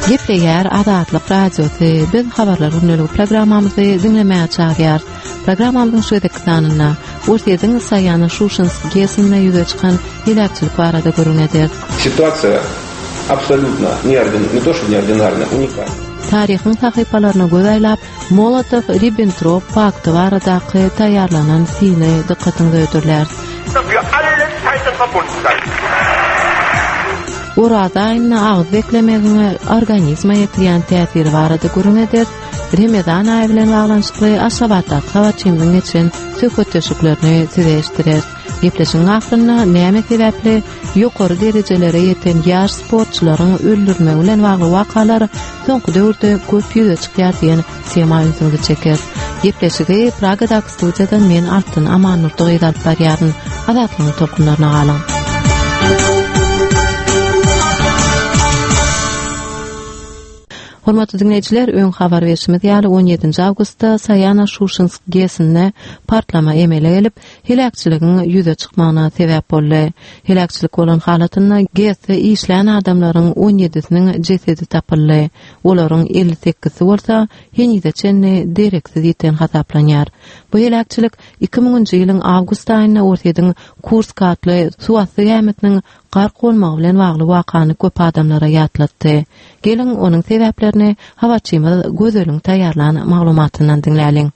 Gepleýär Azatlyk Radiosy. Biz Habarlar gündeligi programmamyzy diňlemäge çagyrýarys. Programmamyzyň şu gezekki sanynda Orsýetiň Saýano-Şuşinsk GES-inde ýüze çykan heläkçilik barada gürrüň ederis. Situasiýa absolýutno ne to što neordinarna, unikalna. Taryhyň sahypalaryna göz aýlap, Molotow-Ribbentrop pakty baradaky taýýarlanan syny dykgatyňyza hödürläris. Oraza aýynda agyz beklemegiň organizme ýetirýän täsiri barada gürrüň ederis. Remezan aýy bilen baglanyşykly Aşgabatdaky habarçymyzyň geçiren söhbetdeşliklerini size eşitdireris. Gepleşigiň ahyrynda näme sebäpli ýokary derejelere ýeten ýaş sportçylaryň öldürilmegi bilen bagly wakalar soňky döwürde köp ýüze çykýar diýen tema ünsüňizi çekeris. Gepleşigi Pragadaky studiýadan men Altyn Amannurdy gyz alyp barýaryn. Azatlygyň tolkunlaryna galyň. Hormatly diňleýjiler, öň habar berşimiz ýaly, 17 awgustda Saýano-Şuşinsk GES-inde partlama emele gelip, heläkçiligiň ýüze çykmagyna sebäp boldy. Heläkçilik bolan halatynda GES-de işlän adamlaryň on ýedisiniň jesedi tapyldy. Olaryň 58-si bolsa henize çenli dereksiz ýiten hasaplanýar. Bu heläkçilik iki müňünji ýylyň awgust aýynda Orsýetiň Kursk atly suwasty gämisiniň gark bolmagy bilen bagly wakany köp adamlara ýatlatdy. Geliň, onuň sebäplerini habarçymyz Gözeliň taýýarlan maglumatyndan diňläliň.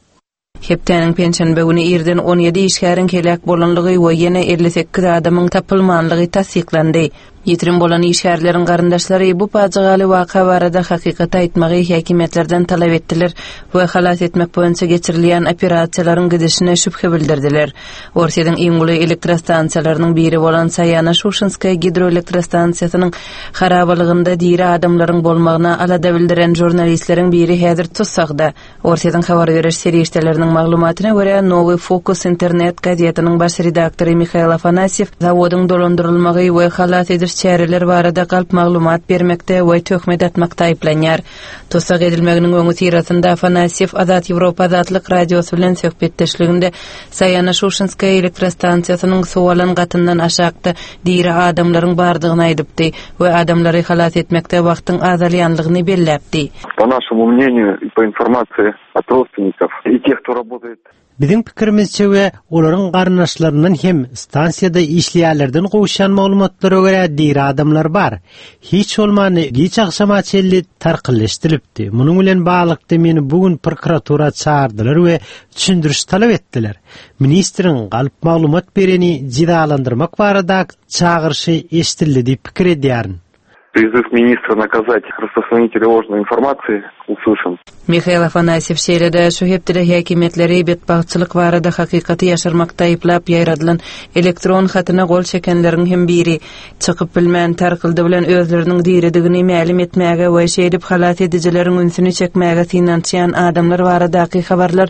Hepdäniň penşenbe güni irden 17 işgäriň heläk bolanlygy we ýene 58 adamyň tapylmanlygy tassyklandy. Ýitirim bolan işgärleriň garyndaşlary bu pajygaly waka barada hakykaty aýtmagy häkimiýetlerden talap etdiler we halas etmek boýunça geçirilýän operasiýalaryň gidişine şübhe bildirdiler. Orsýetiň iň uly elektrostansiýalarynyň biri bolan Saýano-Şuşinskaýa gidroelektrostansiýasynyň harabalygynda diri adamlaryň bolmagyna alada bildiren žurnalistleriň biri häzir tussagda. Orsýetiň habar beriş serişdeleriniň maglumatyna görä, Nowy Fokus internet gazetiniň baş redaktory Mihail Afanasýew zawodyň dolandyrylmagy we halas ediş çäreler barada galp maglumat bermekde we töhmet atmakda aýyplanýar. Tussag edilmeginiň öňüsyrasynda Afanasýew Azat Ýewropa Azatlyk Radiosy bilen söhbetdeşliginde Saýano-Şuşinskaýa elektrostansiýasynyň suw alan gatyndan aşakda diri adamlaryň bardygyny aýdypdy we adamlary halas etmekde wagtyň azalýanlygyny belläpdi. Po našemu mneniýu i po informasiýi ot rodstwennikov i teh, kto rabotaet. Biziň pikirimizçe we olaryň garyndaşlaryndan hem stansiýada işleýänlerden gowuşýan maglumatlara görä diri adamlar bar. Hiç bolmanda giç agşama çenli tarkyldy eşidilipdi. Munuň bilen baglylykda meni bu gün prokuratura çagyrdylar we düşündiriş talap etdiler. Ministriň galp maglumat bereni jezalandyrmak baradaky çagyryşy eşidildi diýip pikir edýärin. Prizyw ministra nakazat rasprostranitelya ложной informasiýi uslyşan. Mihail Afanasýew şeýle-de şu hepdede häkimiýetleri betbagtçylyk barada hakykaty ýaşyrmakda aýyplap ýaýradylan elektron hatyna gol çekenleriň hem biri. Çykyp bilmän, tarkyldy bilen özleriniň diridigini mälim etmäge we şeýdip halas edijileriň ünsüni çekmäge synanyşýan adamlar baradaky habarlar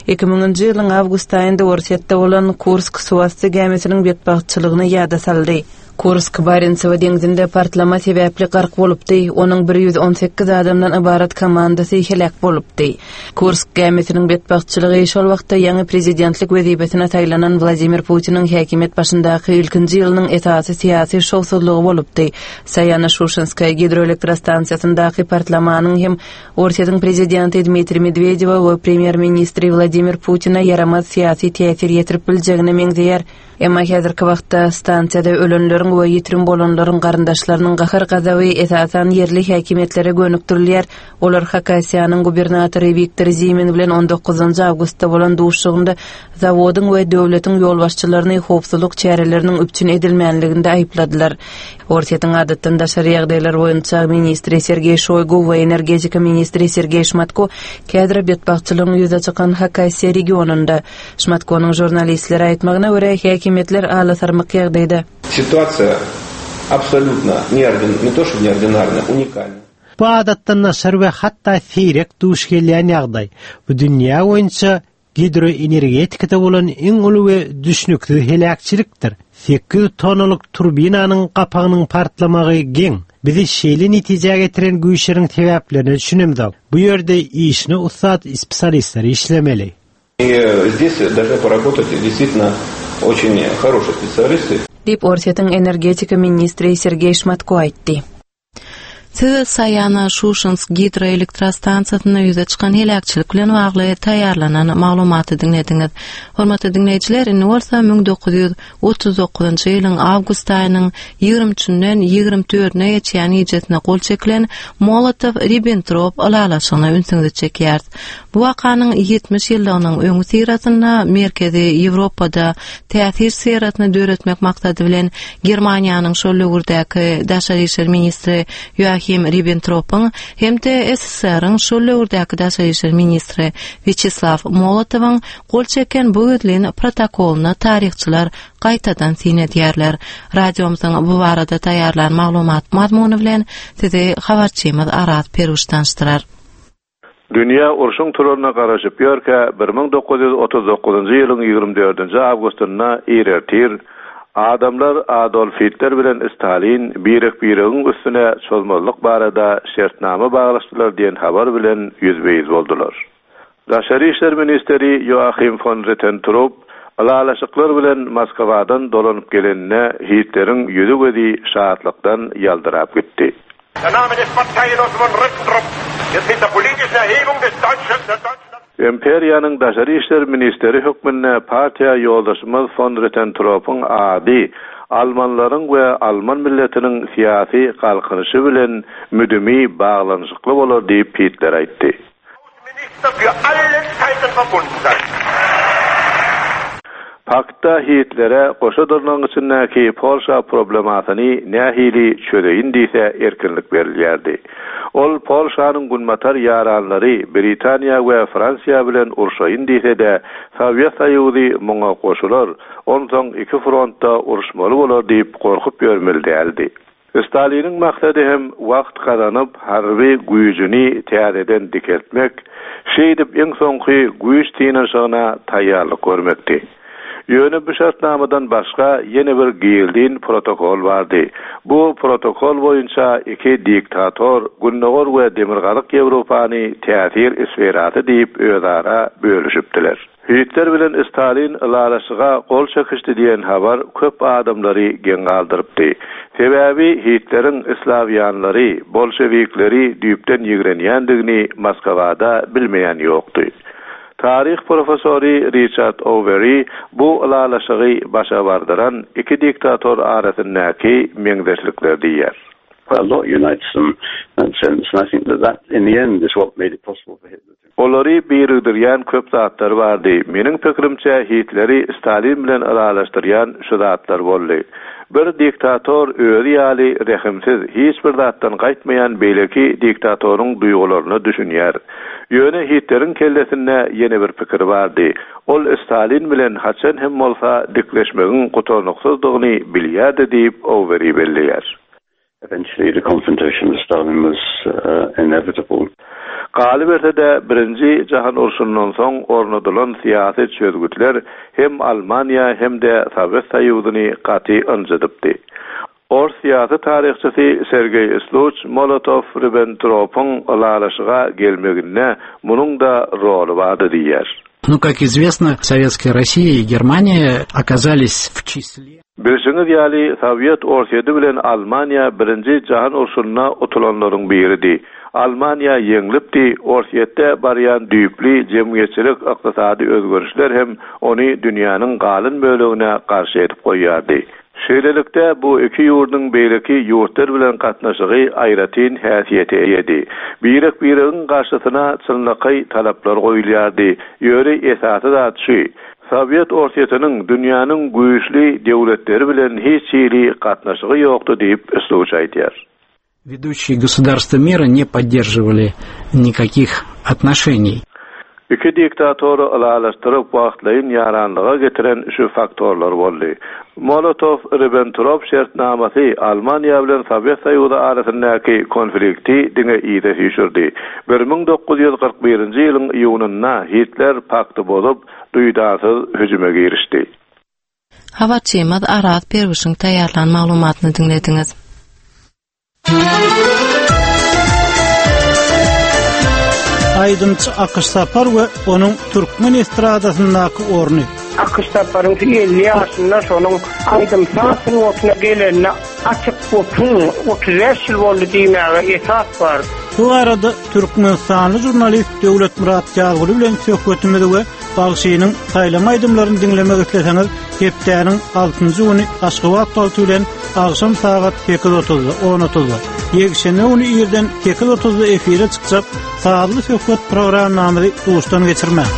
iki müňünji ýylyň awgust aýynda Orsýetde bolan Kursk suwasty gämisiniň betbagtçylygyny ýada saldy. Kursk Barentsewo deňzinde partlama sebäpli gark bolupdy, onuň 118 adamdan ybarat komandasy heläk bolupdy. Kursk gämisiniň betbagtçylygy şol wagtda ýaňy prezidentlik wezipesine saýlanan Wladimir Putiniň häkimiýet başyndaky ilkinji ýylynyň esasy syýasy şowsuzlygy bolupdy. Saýano-Şuşenskaýa gidroelektrostansiýasyndaky partlamanyň hem Orsýetiň prezidenti Dmitriý Medwedewe we premýer-ministri Wladimir Putine ýaramaz syýasy täsir ýetirip biljegine meňzeýär. Emma häzirki wagtda stansiýada ölenleriň we ýitirim bolanlaryň garyndaşlarynyň gahar-gazaby esasan ýerli häkimiýetlere gönükdirilýär. Olar Hakasiýanyň gubernatory Wiktor Zimin bilen on dokuzynjy awgustda bolan duşuşygynda zawodyň we döwletiň ýolbaşçylaryny howpsuzlyk çäreleriniň üpjün edilmänliginde aýypladylar. Orsýetiň adatdan daşary ýagdaýlar boýunça ministri Sergeý Şoýgu we energetika ministri Sergeý Şmatko käbir betbagtçylygyň ýüze çykan Hakasiýa regionynda Şmatkonyň žurnalistlere aýtmagyna görä, häkimiýetler alasarmyk ýagdaýda. Situasiýa absolýutno ne to şto neordinarna, unikalna. Bu adatdan daşary we hatda seýrek duş gelýän ýagdaý. Bu dünýä boýunça gidroenergetikada bolan iň uly we düşnüksiz heläkçilikdir. 800 tonnalyk turbinanyň gapagynyň partlamagy geň. Bizi şeýle netijä getiren güýçleriň sebäplerine düşünemzok. Bu ýerde işine ussat spesialistler işlemeli. Diýip, Orsýetiň energetika ministri Sergeý Şmatko aýtdy. Siz Saýana-Şuşinsk gidroelektrostansiýasynda ýüze çykan heläkçilik bilen bagly taýýarlanan maglumaty diňlediňiz. Hormatly diňleýjiler, indi bolsa 1939-njy ýylyň awgust aýynyň 23 üçünden 24-üne geçýän gijesine gol çekilen Molotow-Ribbentrop ylalaşygyna ünsüňizi çekýäris. Bu wakanyň 70 ýyllygynyň öňüsyrasynda Merkezi Ýewropada täsir sferasyny döretmek maksady bilen Germaniýanyň şol döwürdäki daşary işler ministri Ýoahim Ribbentropyň hem-de SSR-iň şol döwürdäki daşary işler ministri Wýaçeslaw Molotowyň gol çeken bu gizlin protokolyna taryhçylar gaýtadan syn edýärler. Radiomyzyň bu barada taýýarlan maglumat mazmuny bilen sizi habarçymyz Araz Peruş tanyşdyrar. Dünýä urşuň turaryna garaşyp ýörkä, 1939-njy ýylyň ýigrimi dördünji awgustynda ir ertir, adamlar Adolf Hitler bilen Stalin birek-biregiň üstüne çozmazlyk barada şertnama baglaşdylar diýen habar bilen ýüzbe-ýüz boldular. Daşary işler ministri Ýoahim fon Ritentrup ylalaşyklar bilen Moskwadan dolanyp geleninde Hitleriň ýüzi-gözi şatlykdan ýaldyrap gitdi. Der Name des Parteigenossen von Ribbentrop wird mit der politischen Erhebung des deutschen, der deutschen. Imperiýanyň daşary işler ministeri hökmünde partiýa ýoldaşymyz fon Rittentropyň ady almanlaryň we alman milletiniň syýasy galkynyşy bilen müdimi baglanyşykly bolar diýip Hitler aýtdy. Außenminister für alle Zeiten verbunden sein. Paktda Hitlere goşa dyrnagyň içindäki Polşa problemasyny nähili çözeýin diýse erkinlik berilýärdi. Ol Polşanyň günbatar ýaranlary Britaniýa we Fransiýa bilen urşaýyn diýse-de, Sowet Soýuzy muňa goşular, onsoň iki frontda uruşmaly bolar diýip gorkup ýörmeli däldi. Staliniň maksady hem wagt gazanyp, harby güýjüni täzeden dikeltmek, şeýdip iň soňky güýç synanyşygyna taýýarlyk görmekdi. Ýöne bu şertnamadan başga ýene bir gizlin protokol bardy. Bu protokol boýunça iki diktator Gündogar we Demirgazyk Ýewropany täsir sferasy diýip özara bölüşipdiler. Hitler bilen Stalin ylalaşyga gol çekişdi diýen habar köp adamlary geň galdyrypdy. Sebäbi Hitleriň slawýanlary, bolşewikleri düýpden ýigrenýändigini Moskwada bilmeýän ýokdy. Taryh professory Riçard Oweri bu ylalaşygy başa bardyran iki diktator arasyndaky meňzeşlikler diýýär. Olary birikdirýän köp zatlar bardy. Meniň pikirimçe, Hitleri Stalin bilen ylalaşdyrýan şu zatlar boldy. Bir diktator özi ýaly rehimsiz, hiç bir zatdan gaýtmaýan beýleki diktatoryň duýgularyna düşünýär. Ýöne Hitleriň kellesinde ýene bir pikir bardy. Ol Stalin bilen haçan hem bolsa dikleşmegiň gutarnyksyzdygyny bilýärdi diýip, Oweri belleýär. Eventually the confrontation with Stalin was inevitable. Galyberse-de, Birinji jahan urşundan soň ornadylan syýasy çözgütler hem Almaniýa hem-de Sowet Soýuzyny gaty ynjydypdy. Ors syýasy taryhçysy Sergeý Sluç Molotow-Ribbentropyň ylalaşyga gelmeginde munuň-da roly bardy diýýär. Ну, как известно, Советская Россия и Германия оказались в числе. Bilşiňiz ýaly, Sowet Orsýeti bilen Almaniýa Birinji jahan urşunda utulanlaryň biridi. Almaniýa ýeňlipdi, Orsýetde barýan düýpli jemgyýetçilik-ykdysady özgerişler hem ony dünýäniň galyn bölegine garşy edip goýýardy. Şeýlelikde, bu iki ýurduň beýleki ýurtlar bilen gatnaşygy aýratyn häsiýete eýedi. Birek-biregiň garşysyna çynlakaý talaplar goýulýardy. Ýöne esasy zat şu, Sowet Orsýetiniň dünýäniň güýçli döwletleri bilen hiç hili gatnaşygy ýokdy diýip, Sluç aýdýar. Ведущие государства мира не поддерживали никаких отношений. Iki diktatory ylalaşdyryp wagtlaýyn ýaranlyga getiren şu faktorlar boldy. Molotow-Ribbentrop şertnamasy Almaniýa bilen Sowet Soýuzy arasyndaky konflikti diňe yza süýşürdi. 1941-nji ýylyň iýunynda Hitler pakty bozup, duýdansyz hüjüme girişdi. Habarçymyz Araz Perwişiň taýýarlan maglumatyny diňlediňiz. Aýdymçy Akyş Sapar we onuň türkmen estradasyndaky orny. Akyş Saparyň 50 ýaşynda şonuň aýdym-saz sungatyna gelenine. Açyk otuň, 35 ýyl boldy diýmäge esas bar. Bu barada türkmenistanly žurnalist Döwletmyrat Ýazguly bilen söhbetimizi we bagşynyň saýlama aýdymlaryny diňlemek isleseňiz, hepdäniň altynjy güni Aşgabat wagty bilen agşam sagat sekiz otuzda, on otuzda, ýekşenbe güni irden sekiz otuzda efire çykjak Sazly söhbet programmamyzy duşdan geçirmäň.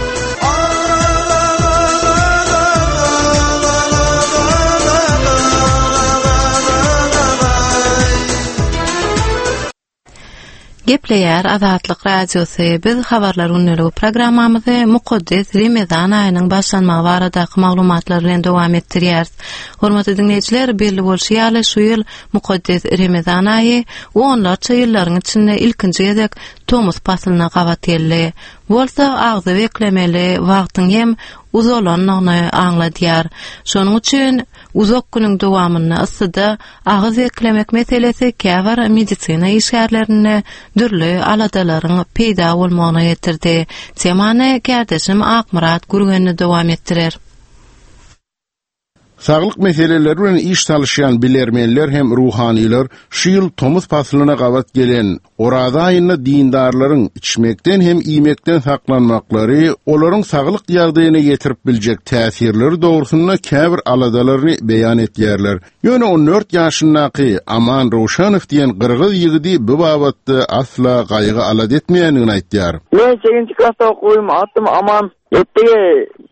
Gepleýär Azatlyk Radiosy, biz Habarlar gündeligi programmamyzy mukaddes Remezan aýynyň başlanmagy baradaky maglumatlar bilen dowam etdirýäris. Hormatly diňleýjiler, belli bolşy ýaly, şu ýyl mukaddes Remezan aýy onlarça ýyllaryň içinde ilkinji gezek tomus paslyna gabat geldi. Bolsa agzy beklemeli wagtyň hem uzalandygyny aňladýar. Şonuň üçin uzak günüň dowamynda yssyda agyz beklemek meselesi käbir medisina işgärlerinde dürli aladalaryň peýda bolmagyna getirdi. Temany kärdeşim Akmyrat Gürgenli dowam etdirer. Saglyk meseleleri bilen iş salyşýan bilermenler hem ruhanylar şu ýyl tomus paslyna gabat gelen Oraza aýynda dindarlaryň içmekden hem iýmekden saklanmaklary olaryň saglyk ýagdaýyna ýetirip biljek täsirleri dogrusynda käbir aladalaryny beýan etýärler. Ýöne 14 ýaşyndaky Aman Rowşanow diýen gyrgyz ýigidi bu babatda asla gaýgy-alada etmeýändigini aýtýar. Men sekizinji klasda okuwym, adym Aman. Ýetdigi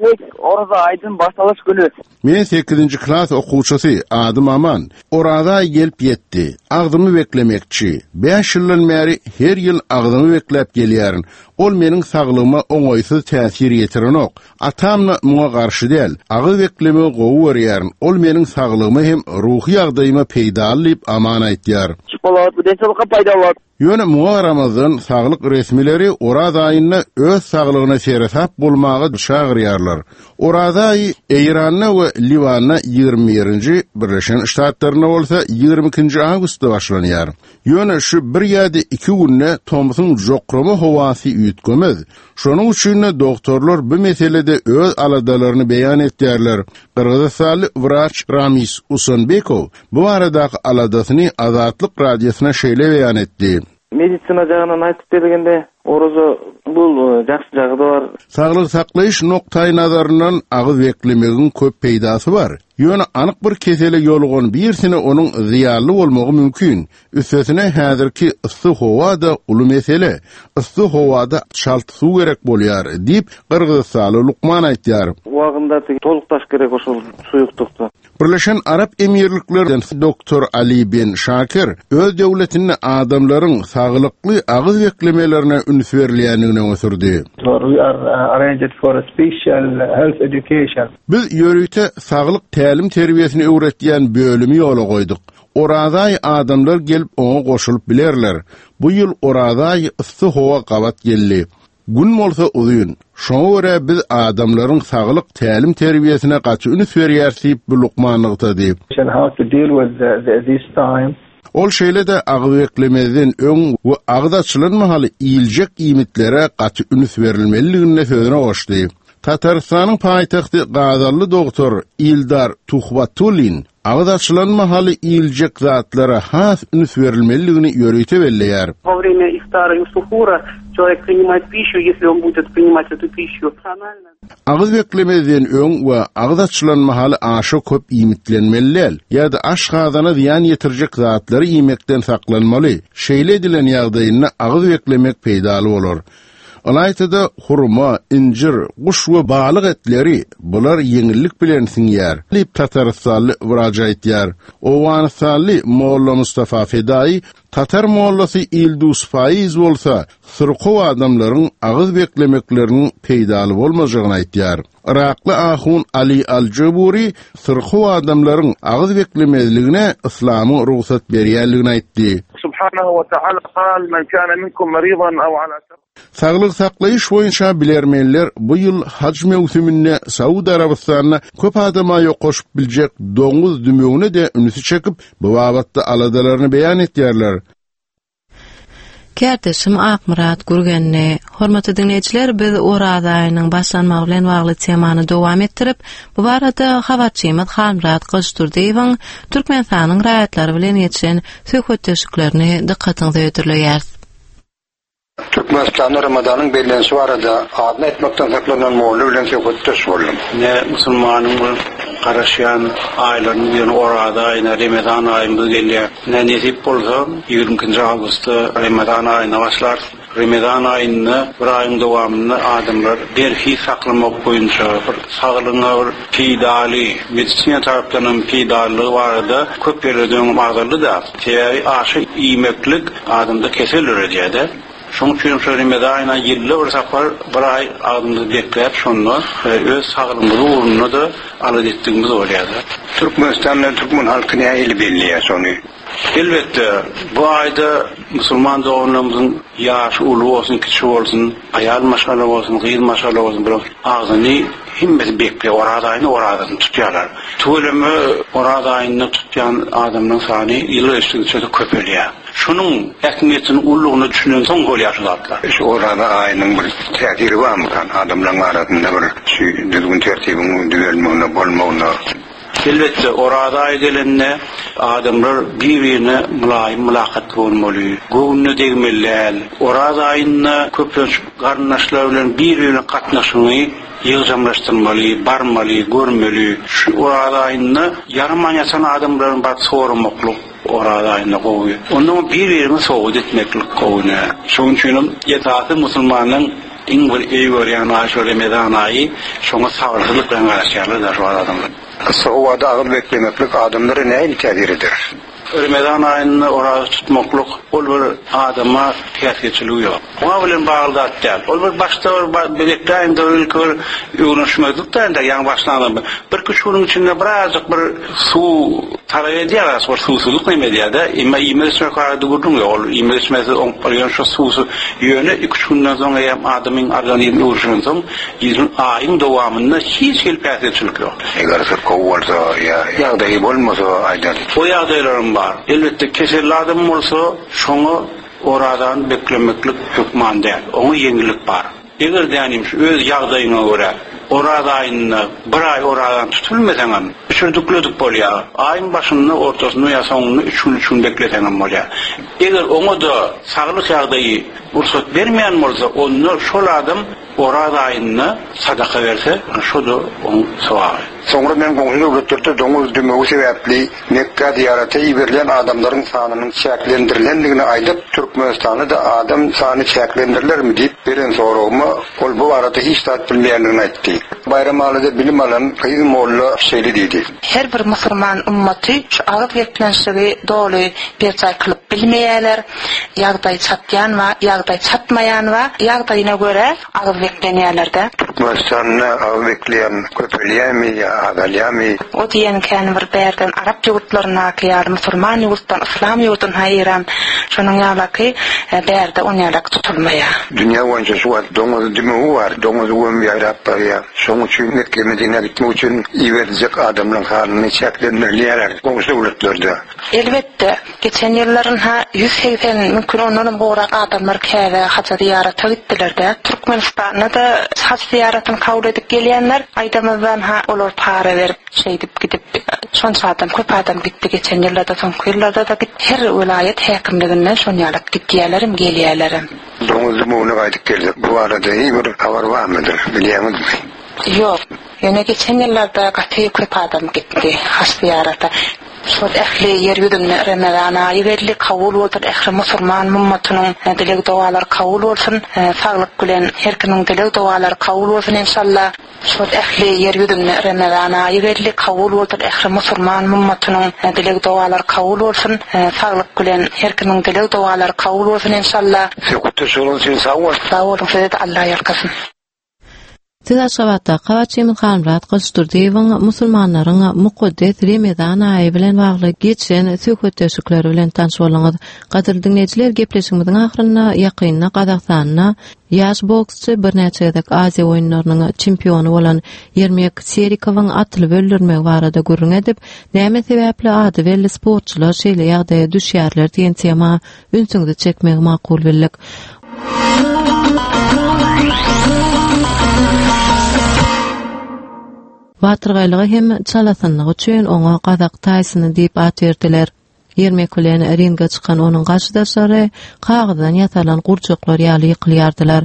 tek Oraza aýdyň başlalyş güni. Men sekizinji klas okuwçysy, adym Aman. Oraza aýy gelip ýetdi. Agzymy beklemekçi. Bäş ýyldan bäri her ýyl agzymy bekläp gelýärin. Ol meniň saglygyma oňaýsyz täsir ýetirenok. Atam-da muňa garşy däl. Agyz beklemegi gowy görýärin. Ol meniň saglygyma hem ruhy ýagdaýyma peýdaly diýip, Aman aýtýar. Şokolad bu densowlukka paýdaly. Ýöne muňa garamazdan, saglyk resmileri Oraz aýynda öz saglygyna seresap bolmaga çagyrýarlar. Oraza aýy Eýranda we Liwanda 21-nji, Birleşen Ştatlarynda bolsa 22-nji awgustda başlanýar. Ýöne şu bir ýa-da iki günde tomsuň jokrama howasy üýtgemez. Şonuň üçin-de dogtorlar bu meselede öz aladalaryny beýan etýärler. Gyrgyzystanly wraç Ramis Usanbekow Bu baradaky aladasyny Azatlyk Radiosyna şeýle beýan etdi. Medisina jagyndan aýtyp bergende, oraza bul jagsy jagy-da bar. Saglygy saklaýyş nukdaýnazaryndan agyz beklemegiň köp peýdasy bar. Ýöne anyk bir kesele ýolugan birisine onuň zyýanly bolmagy mümkin. Üstesine häzirki yssy howa-da uly mesele. Yssy howada çalt suw gerek bolýar, diýip, gyrgyzystanly lukman aýtýar. Wagynda toluk daş gerek oşol suýuklykda. Birleşen Arap Emirliklerden doktor Ali Ben Şakir öz döwletinde adamlaryň saglykly agyz beklemelerine üns berilýändigini öňe sürdi. We are arranged for a special health education. Biz ýörite saglyk tälim-terbiýesini öwretýän bölümi ýola goýduk. Oraza aýy adamlar gelip oňa goşulyp bilerler. Bu ýyl Oraza aýy yssy howa gabat geldi. Gün bolsa uzyn. Şoňa görä biz adamlaryň saglyk tälim-terbiýesine gaty üns berýäris diýip, bu lukman nygtady. How to deal with this time. Ol şeýle-de agyz beklemezden öň we agyz açylan mahaly iýiljek iýmitlere gaty üns berilmelidigini-de sözüne goşdy. Tatarystanyň paýtagty gazally dogtor Ildar Tuhbatullin Agyz açylan mahaly iýiljek zatlara has üns berilmelidigini ýörite belleýär. Во время iftara и suhura человек принимает пищу, если он будет принимать эту пищу. Agyz beklemezden öň we agyz açylan mahaly aşa köp iýmitlenmeli däl ýa-da aşgazana zyýan ýetirjek zatlary iýmekden saklanmaly. Şeýle edilen ýagdaýynda agyz beklemek peýdaly bolar. Ylaýta-da hurma, injir, guş we balyk etleri, bular ýeňillik bilen siňýär, diýip, tatarystanly wraç aýtýar. Owganystanly Molla Mustafa Fedaýy, tatar mollasy Ildus Faiz bolsa, syrkaw adamlaryň agyz beklemekleriniň peýdaly bolmajagyny aýtýar. Yrakly ahun Ali al-Juburi syrkaw adamlaryň agyz beklemezligine yslamyň rugsat berýänligini aýtdy. Subhanahu we ta'ala kal, Men kana minkum maridan aw ala safar. Saglygy saklaýyş boýunça bilermenler bu ýyl haj möwsüminde Saud Arabystanyna köp adama ýokaşyp biljek doňuz dümewine-de ünsi çekip, bu babatda aladalaryny beýan etýärler. Kärdeşim Akmyrat Gürgenli. Hormatly diňleýjiler, biz Oraz aýynyň başlanmagy bilen bagly temany dowam etdirip, bu barada habarçymyz Halmyrat Gylyçdurdyýewiň Türkmenistanyň raýatlary bilen geçiren söhbetdeşliklerini dykgatyňyza hödürleýäris. Türkmenistanda Ramazanyň bellenişi barada adyny aýtmakdan saklanan molla bilen söhbetdeş boldum. Ine, musulmanyň bir garaşýan aýlarynyň biri Oraza aýyna, Remezan aýymyz gelýär. Ine, nesip bolsa, 22 nji awgustda Remezan aýyna başlarys. Remezan aýynda bir aýyň dowamynda adamlar berhiz saklamak boýunça bir saglygyňa bir peýdaly, medisina tarapdan hem peýdalylygy barada köp ýerlerde öňem agzaldy-da. Sebäbi aşa iýmeklik adamda kesel döredýär-de. Şonuň üçin şu Remezan aýyna ýylda bir sapar bir aý agzymyzy bekläp şonda öz saglygymyz ugrunda-da alada etdigimiz bolýar-da. Türkmenistanda türkmen halky nähili belleýär şony? Elbetde, bu aýda musulman doganlarymyzyň ýaşy uly bolsun, kiçi bolsun, aýal maşgala bolsun, gyz maşgala bolsun bularyň agzyny hemmesi bekleýär, Oraz aýynda orazasyny tutýarlar. Tüweleme Oraz aýynda tutýan adamlaryň sany ýyl geçdigiçe-de köpelýär. Şunuň ähmiýetiniň ululygyna düşünensoň bolýar şu zatlar. Şu Oraza aýynyň bir täsiri barmykan adamlaryň arasynda bir şu düzgün-tertibiň düzelmegine, bolmagyna? Elbetde, Oraza aýy gelende adamlar bir-birine mylaýym mylakatly bolmaly, göwnüne degmeli däl. Oraz aýynda köplenç garyndaşlar bilen bir-birine gatnaşygyňy ýygjamlaşdyrmaly, barmaly, görmeli. Şu Oraz aýynda ýaraman ýatan adamlaryň baryp soramaklyk Oraz aýynda gowy. Onnoň bir-biriňi sowgat etmeklik gowy nä. Şonuň üçinem esasy musulmanyň Iň bir eý görýän aý şo Remezan aýy, şoňa sabyrsyzlyk bilen garaşýarlar-da şu wagt adamlar. Yssy howada agyz beklemeklik adamlara nähili täsir eder? Remezan aýynda oraza tutmaklyk ol bir adama päsgelçiligi ýok. Oňa bilen bagly zat däl. Ol bir başda bir bekläýiň-de bir ilki bir öwrenişmezlik-dä entek ýaňy başlan adam. Birki üç günüň içinde birazjyk bir suw talap edýär az bir suwsuzlyk neme edýär-de. Emma iýmek-içmek barada gürrüň ýok. Ol iýmek-içmesiz oňup barýan şo suwsuz. Ýöne iki-üç günden soň eýýäm adamyň organizmi öwrenişensoň, ýylyň, aýyň dowamynda hiç hili päsgelçilik ýok. Eger syrkaw bolsa ýa ýagdaýy bolmasa aýdaly. O ýagdaýlaram bar. Elbetde keselli adam bolsa şoňa orazany beklemeklik hökman däl. Oňa ýeňillik bar. Eger dänim şu öz ýagdaýyňa görä Oraz aýynda bir aý orazany tutup bilmeseňem, üçürdükledik bolýar. Aýyň başynda, ortasynda ýa soňunda üç gün, üç gün bekleseňem bolýar. Eger oňa-da saglyk ýagdaýy rugsat bermeýän bolsa, onda şol adam Oraz aýynda sadaka berse, şo-da oň sogaby. Soňra men goňşy döwletlerde doňuz dümewi sebäpli Mekgä zyýarata iberilýän adamlaryň sanynyň çäklendirilendigini aýdyp, Türkmenistanda-da adam sany çäklendirilermi diýip beren soragyma, ol bu barada hiç zat bilmeýändigini aýtdy. Baýramalyda bilim alan gyz molla şeýle diýdi. Her bir musulman ummaty şu agyz geplenşigi doly berjaý kylyp bilmeýärler. Ýagdaý çatýan bar, ýagdaý çatmaýan bar. Ýagdaýyna görä agyz beklenýärler-dä. Türkmenistanda agyz bekleýän köpelýärmi ýa azalýarmy? O diýen kän bir bärden arap ýurtlaryndaky ýaly musulman ýurtdan yslam ýurdun ha Eýran şonuň ýalaky bärde on ýalak tutulmaýar. Dünýä boýunça şu wagt doňuz dümewi bar. Doňuz göm ýaýrap barýar. Şonuň üçin Mekge Medinä gitmek üçin iberiljek adamlaryň sanyny çäklendirilýärler goňşy döwletlerde. Elbetde, geçen ýyllar ynha 180, mümkin ondanam gowrak adamlar Käbä haja zyýarata gitdiler-dä. Türkmenistanda-da haj zyýaratyny kabul edip gelýänler, aýdamyzdan ha olar para berip, şeýdip gidip, şonça adam, köp adam gitdi geçen ýyllarda, soňky ýyllarda-da git, her welaýat häkimliginden şonýalak gidýälerem, gelýälerem. Doňuz dümewine gaýdyp gelsek, bu barada hiý bir habar barmydyr, bilýäňizmi? Ýok. Ýöne geçen ýyllarda gaty köp adam gitdi haj zyýarata. Şol ähli ýer ýüzünde Remezan aýy geldi, kabul bolsun ähli musurman mummatynyň dileg dogalary kabul bolsun, saglyk bilen her kimiň dileg dogalary kabul bolsun enşalla. Şol ähli ýer ýüzünde Remezan aýy geldi, kabul bolsun ähli musurman mummatynyň dileg dogalary kabul bolsun, saglyk bilen her kimiň dileg dogalary kabul bolsun enşalla. Söhbetdeş bolanyň üçin sag bol. Sag boluň sizede Alla ýalkasyn. Siz Aşgabatdaky habarçymyz Halmyrat Gylyçdurdyýewiň musulmanlaryň mukaddes Remezan aýy bilen bagly geçiren söhbetdeşlikleri bilen tanyş bolduňyz. Gadyrly diňleýjiler, gepleşigimiziň ahyrynda ýakynda Gazagystanda ýaş boksçy, birnäçe gezek Aziýa oýunlarynyň çempiony bolan Ýermek Serikowyň atylyp öldürilmegi barada gürrüň edip, näme sebäpli ady belli sportçular şeýle ýagdaýa düşýärler diýen tema ünsüňizi çekmegi makul bildik. Batyrgaýlygy hem çalasynlygy üçin oňa Gazak Taýsony diýip at berdiler. Ýermek bilen ringe çykan onuň garşydaşlary kagyzdan ýasalan gurjaklar ýaly ýykylýardylar.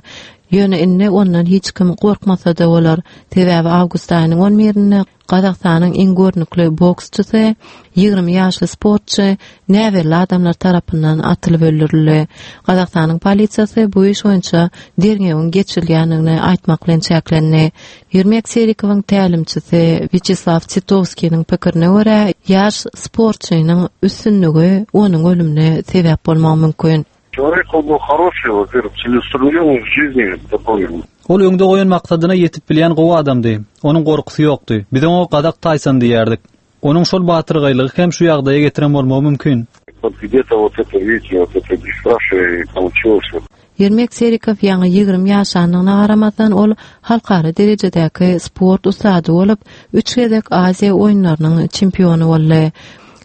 Ýöne indi ondan hiç kim gorkmasa-da bolar. Sebäbi awgust aýynyň on birinde Gazagystanyň iň görnükli boksçysy, 20 ýaşly sportçy näbelli adamlar tarapyndan atylyp öldürildi. Gazagystanyň polisiýasy bu iş boýunça derňewiň geçirilýändigini aýtmak bilen çäklendi. Ýermek Serikowyň tälimçisi Wýaçeslaw Titowskiniň pikirine görä, ýaş sportçynyň üstünligi onuň ölümine sebäp bolmagy mümkin. Çelowek ol byl horoşiý, во-первых, целеустремленный в жизни такой. Ol öňde goýan maksadyna ýetip bilýän gowy adamdy. Onuň gorkusy ýokdy. Biz oňa Gazak Taýson diýerdik. Onuň şol batyrgaýlygy hem şu ýagdaýa getiren bolmagy mümkin. Вот где-то вот это, видите, вот это бесстрашие и получилось вот. Ýermek Serikow ýaňy 20 ýaşandygyna garamazdan, ol halkara derejedäki sport ussady bolup, üç gezek Aziýa oýunlarynyň çempiony boldy.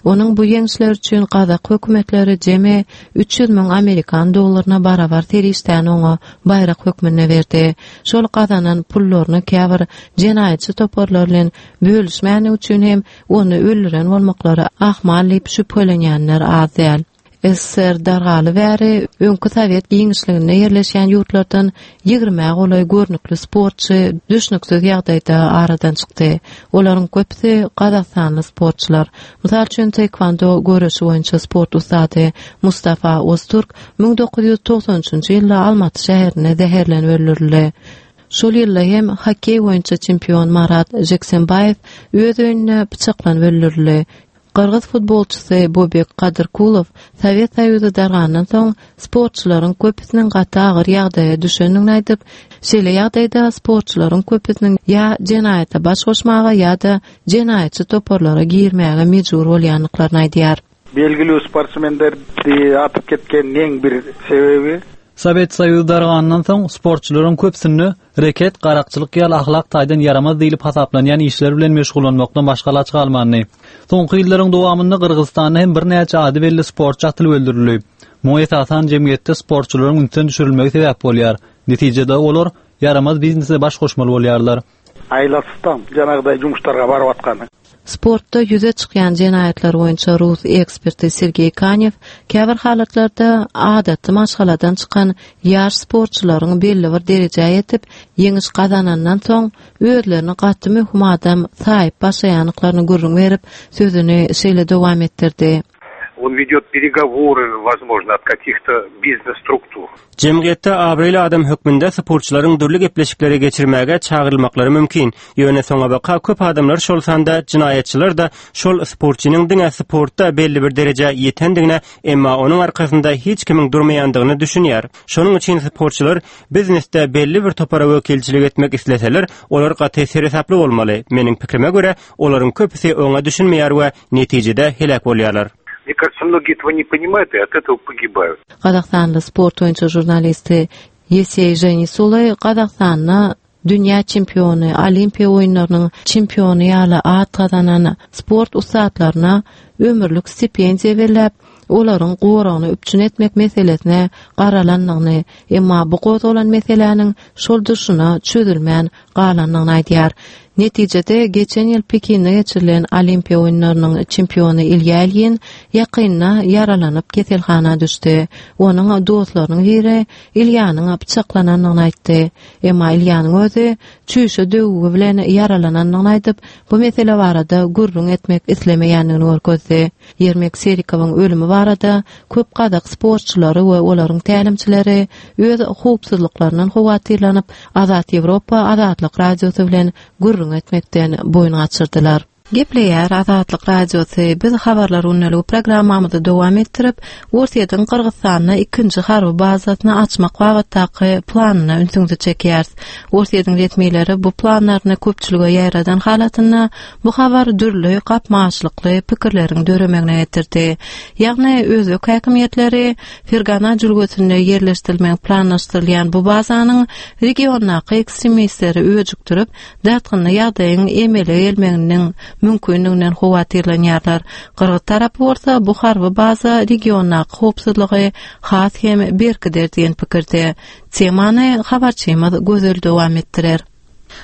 Onuň bu ýeňişleri üçin gazak hökümetleri jemi 300 müň amerikan dollaryna barabar serişdäni oňa baýrak hökmünde berdi. Şol gazanan pullaryny käbir jenaýatçy toparlar bilen bölüşmändigi üçin hem ony öldüren bolmaklary ahmal diýip şübhelenýänler az däl. Ssr dargaly bäri öňki sowet giňişliginde ýerleşýän ýurtlardan ýigrimä golaý görnükli sportçy düşnüksiz ýagdaýda aradan çykdy. Olaryň köpüsi gazagystanly sportçylar. Mysal üçin, taekwondo göreşi boýunça sport ussady Mustafa Ozturk 1993-nji ýylda Almaty şäherinde zäherlenip öldürildi. Şol ýylda hem hokkeý boýunça çempion Marat Žeksenbaýew öz öýünde pyçaklanyp öldürildi. Gyrgyz futbolçysy Bobek Kadyrkulow Sowet Soýuzy dargandan soň sportçylaryň köpüsiniň gaty agyr ýagdaýa düşendigini aýdyp, şeýle ýagdaýda sportçylaryň köpüsiniň ýa jenaýata baş goşmaga ýa-da jenaýatçy toparlara girmäge mejbur bolýandyklaryny aýdýar. Belgilүү sportsmenderdi atyp ketkeniniň bir sebebi. Sowet Soýuzy dargandan soň sportçylaryň köpüsinde Reket, garakçylyk ýaly ahlak taýdan ýaramaz diýlip hasaplanýan işler bilen meşgullanmakdan başga alaç galmandy. Soňky ýyllaryň dowamynda Gyrgyzystanda hem birnäçe ady belli sportçy atylyp öldürildi. Muňa esasan jemgyýetde sportçylaryň ünsden düşürilmegi sebäp bolýar. Netijede olar ýaramaz biznese baş goşmaly bolýarlar. Aýlasysdan janagdaý jumuşlarga baryp atkany. Sportda ýüze çykýan jenaýatlar boýunça rus eksperti Sergeý Kanew käbir halatlarda adaty maşgaladan çykan ýaş sportçylaryň belli bir derejä ýetip, ýeňiş gazanandan soň özlerini gaty möhüm adam saýyp başlaýandyklaryny gürrüň berip, sözüni şeýle dowam etdirdi. On wedýot peregowory, wozmožno, ot kakih-to biznes-struktur. Jemgyýetde abraýly adam hökmünde sportçylaryň dürli gepleşikleri geçirmäge çagyrylmaklary mümkin. Ýöne soňabaka köp adamlar, şol sanda jenaýatçylar-da şol sportçynyň diňe sportda belli bir derejä ýetendigine, emma onuň arkasynda hiç kimiň durmaýandygyna düşünýär. Şonuň üçin sportçylar biznesde belli bir topara wekilçilik etmek isleseler, olar gaty seresaply bolmaly. Meniň pikrime görä, olaryň köpüsi oňa düşünmeýär we Netijede heläk bolýarlar. Mne kažется, mnogie этого ne понимают и от этого pogibают. Gazagystanly sport boýunça žurnalisti Ýeseý Ženisuly Gazagystanda dünýä çempiony, Olimpiýa oýunlarynyň çempiony ýaly at gazanan sport ussatlaryna ömürlik stipendiýa belläp, olaryň goragyny üpjün etmek meselesine garalandygyny, emma bu gozgalan meseläniň şol durşuna çözülmän galandygyny aýdýar. Netijede, geçen ýyl Pekinde geçirilen Olimpiýa oýunlarynyň çempiony Ilýa Ilýin ýakynda ýaralanyp keselhana düşdi. Onuň dostlarynyň biri Ilýanyň pyçaklanandygyny aýtdy. Emma Ilýanyň özi çüýşe döwügi bilen ýaralanandygyny aýdyp, bu mesele barada gürrüň etmek islemeýändigini görkezdi. Ýermek Serikowyň ölümi barada köp gazak sportçylary we olaryň tälimçileri öz howpsuzlyklaryndan howatyrlanyp, Azat Ýewropa Azatlyk Radiosy bilen gürrüň etmekden boýun gaçyrdylar. Gepleýär Azatlyk Radiosy, Biz Habarlar gündeligi programmamyzy dowam etdirip, Orsýetiň Gyrgyzystanda ikinji harby bazasyny açmak babatdaky planyna ünsüňizi çekýäris. Orsýetiň resmileri bu planlaryny köpçülige ýaýradan halatynda bu habar dürli gapma-garşylykly pikirleriň döremegine getirdi. Ýagny özbek häkimiýetleri Fergana jülgesinde ýerleşdirilmegi planlaşdyrylýan bu bazanyň regiondaky ekstremistleri öjükdirip, dartgynly ýagdaýyň emele gelmeginiň mümkindiginden howatyrlanýarlar. Gyrgyz tarapy bolsa bu harby baza regiondaky howpsuzlygy has hem berkider diýen pikirde. Temany habarçymyz Gözel dowam etdirer.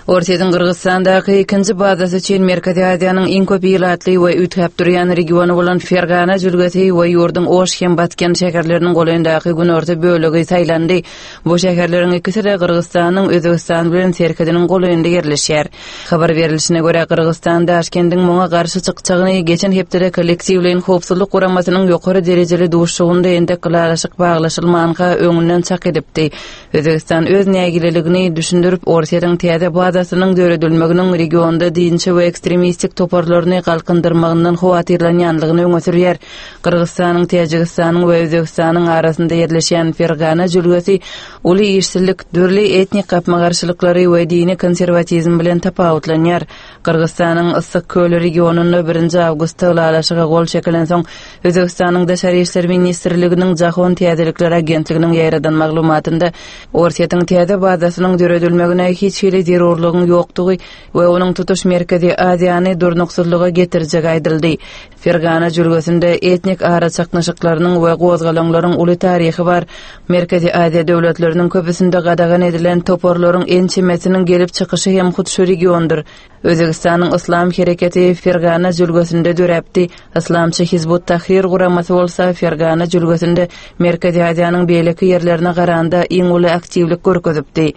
Orsýetiň Gyrgyzystandaky ikinji bazasy üçin Merkezi Aziýanyň iň köp ilatly we üýtgäp durýan regiony bolan Fergana jülgesi we ýurduň Oş hem Batken şäherleriniň golaýyndaky günorta bölegi saýlandy. Bu şäherleriň ikisi-de Gyrgyzystanyň Özbegistan bilen serhediniň golaýynda ýerleşýär. Habar berlişine görä, Gyrgyzystan Daşkendiň muňa garşy çykjagyny geçen hepdede Kollektiwleýin howpsuzlyk guramasynyň ýokary derejeli duşuşygynda entek ylalaşyk baglaşylmanka öňünden çak edipdi. Özbegistan öz nägileligini düşündirip, Orsýetiň täze bazasynyň döredilmeginiň regionda dinçi we ekstremistik toparlaryny galkyndyrmagyndan howatyrlanýanlygyny öňe sürýär. Gyrgyzystanyň, Täjigistanyň we Özbegistanyň arasynda ýerleşýän Fergana jülgesi uly işsizlik, dürli etnik gapma-garşylyklary we dini konserwatizm bilen tapawutlanýar. Gyrgyzystanyň Yssyk köli regionynda birinji awgustda ylalaşyga gol çekilensoň, Özbegistanyň Daşary işler ministrliginiň Jahon täzelikleri agentliginiň ýaýradan maglumatynda Orsýetiň täze bazasynyň döredilmegine hiç hili zerurlygyň ýokdugy we onuň tutuş Merkezi Aziýany durnuksyzlyga getirjegi aýdyldy. Fergana jülgesinde etnik araçaknyşyklarynyň we gozgalaňlaryň uly taryhy bar. Merkezi Aziýa döwletleriniň köpüsinde gadagan edilen toparlaryň ençemesiniň gelip çykyşy hem hut şu regiondyr. Özbegistanyň Yslam hereketi Fergana jülgesinde döräpdi. Yslamçy Hizbut Tahrir guramasy bolsa Fergana jülgesinde Merkezi Aziýanyň beýleki ýerlerine garanda iň uly aktiwlik görkezipdi.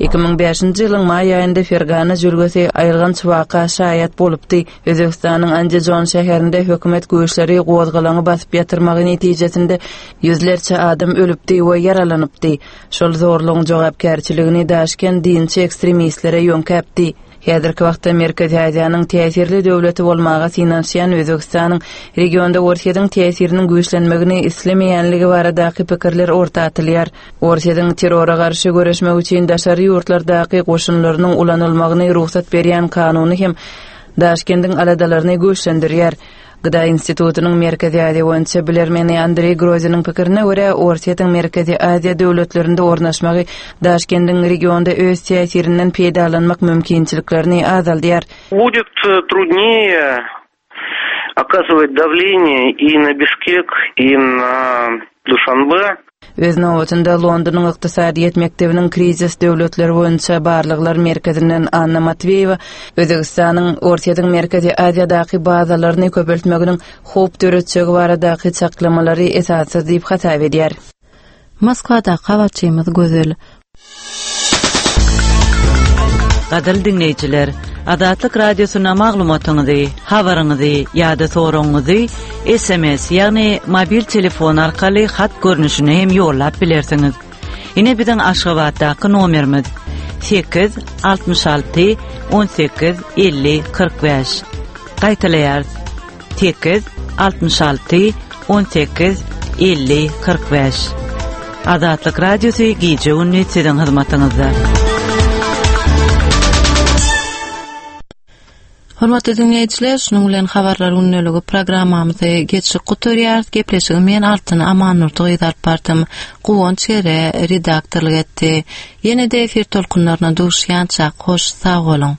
2005-nji ýylyň maý aýynda Fergana jülgesi aýylganç waka şaýat bolupdy. Özbegistanyň Andijon şäherinde hökümet güýçleri gozgalaňy basyp ýatyrmagy netijesinde ýüzlerçe adam ölüpdi we ýaralanypdy. Şol zorlugyň jogapkärçiligini Daşkent dinçi ekstremistlere ýöňkäpdi. Häzirki wagtda Merkezi Aziýanyň täsirli döwleti bolmaga synanyşýan Özbegistanyň regionda Orsýetiň täsiriniň güýçlenmegini islemeýänligi baradaky pikirler orta atylýar. Orsýetiň terrora garşy göreşmek üçin daşary ýurtlardaky goşunlarynyň ulanylmagyny rugsat berýän kanuny hem Daşkendiň aladalaryny güýçlendirýär. Gda institutynyň Merkezi Aziýa boýunça bilermeni Andreý Groziniň pikirine görä, Orsýetiň Merkezi Aziýa döwletlerinde ornaşmagy Daşkendiň regionda öz täsirinden peýdalanmak mümkinçiliklerini azaldýar. Будет trudnее оказывать давление и на Бишкек, и на Душанбе. Öz nobatynda Londonyň Ykdysadyýet mekdebiniň Krizis döwletler boýunça barlaglar merkezinden Anna Matweýewa Özbegistanyň Orsýetiň Merkezi Aziýadaky bazalaryny köpeltmeginiň howp döretjegi baradaky çaklamalary esassyz diýip hasap edýär. Moskwadaky habarçymyz Gözel. Gadyrly diňleýjiler, Azatlyk Radiosyna maglumatyňyzy, habaryňyzy ýa-da soragyňyzy sms, ýagny mobil telefon arkaly hat görnüşinde hem ýollap bilersiňiz. Ine biziň Aşgabatdaky nomerimiz, 8 66 18 50 45. Gaýtalaýarys, 8 66 18 50 45. Azatlyk Radiosy gije-gündiz siziň hyzmatyňyzda. Hormatly diňleýjiler, şunuň bilen Habarlar gündeligi programmamyzy geçip gutarýarys. Gepleşigi men Altyn Amannurdy gyzy alyp bardym. Guwanç Gere redaktorlyk etdi. Ýene-de efir tolkunlaryna duşýançak, hoş sag boluň!